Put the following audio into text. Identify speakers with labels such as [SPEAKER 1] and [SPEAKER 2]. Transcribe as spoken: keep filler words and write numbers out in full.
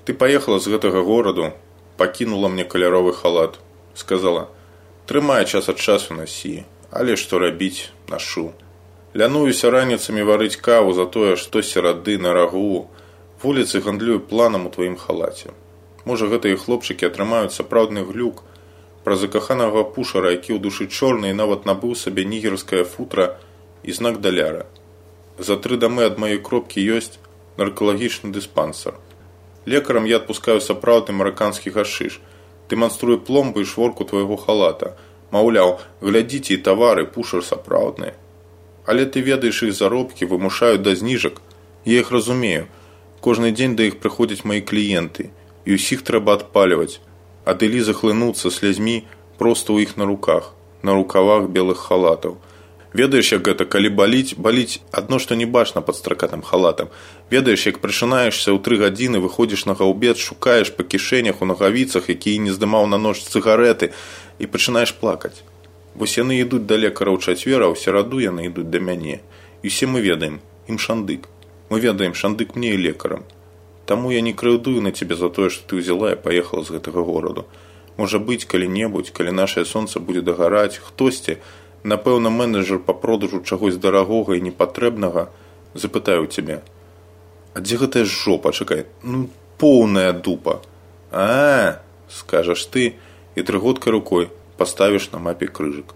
[SPEAKER 1] Ты паехала з гэтага гораду, пакінула мне каляровы халат. Сказала: трымай, час ад часу насі, але што рабіць, нашу. Лянуюся раніцамі варыць каву за тое, што серады на рагу. Вуліцы гандлюю планам у тваім халаце. Можа, гэтыя хлопчыкі атрымаюць сапраўдны глюк пра закаханага пушара, які ў душы чорны і нават набыў сабе нігерскае футра і знак даляра. За тры дамы ад маёй кропкі ёсць наркалагічны дыспансер. Лекарам я адпускаю сапраўдны мараканскі гашыш. Дэманструю пломбы і шворку твайго халата. Маўляў, глядзіце, і тавары, пушар сапраўдныя. Але ты ведаеш, іх заробкі вымушаюць да зніжак. Я іх разумею. Кожны дзень да іх прыходзяць маі кліенты, і ўсіх трэба адпальваць. Ад Ілі захлынуцца слязьмі проста ў іх на руках, на рукавах белых халатаў. Ведаеш, як гэта, калі баліць, баліць адно, што не бачна пад стракатым халатам. Ведаеш, як прачынаешся ў тры гадзіны, выходзіш на гаўбец, шукаеш па кішэнях, у нагавіцах, якія не здымаў на ноч цыгарэты, і пачынаеш плакаць. Вось яны ідуць да лекара ў чацвер, а ў сераду яны ідуць да мяне. І усе мы ведаем, ім шандык. Мы ведаем, шандык мне і лекарам. Таму я не крыўдую на цябе за тое, што ты ўзяла і паехала з гэтага гораду. Можа быць, калі-небудзь, калі нашае сонца будзе дагараць, хтосьці, напэўна, менеджер па продажу чагось дарагога і непатрэбнага, запытаю цябе: а дзе гэтая жопа, чакай, ну, поўная дупа. А, скажаш ты, і трыготкай рукой паставіш на мапе крыжык.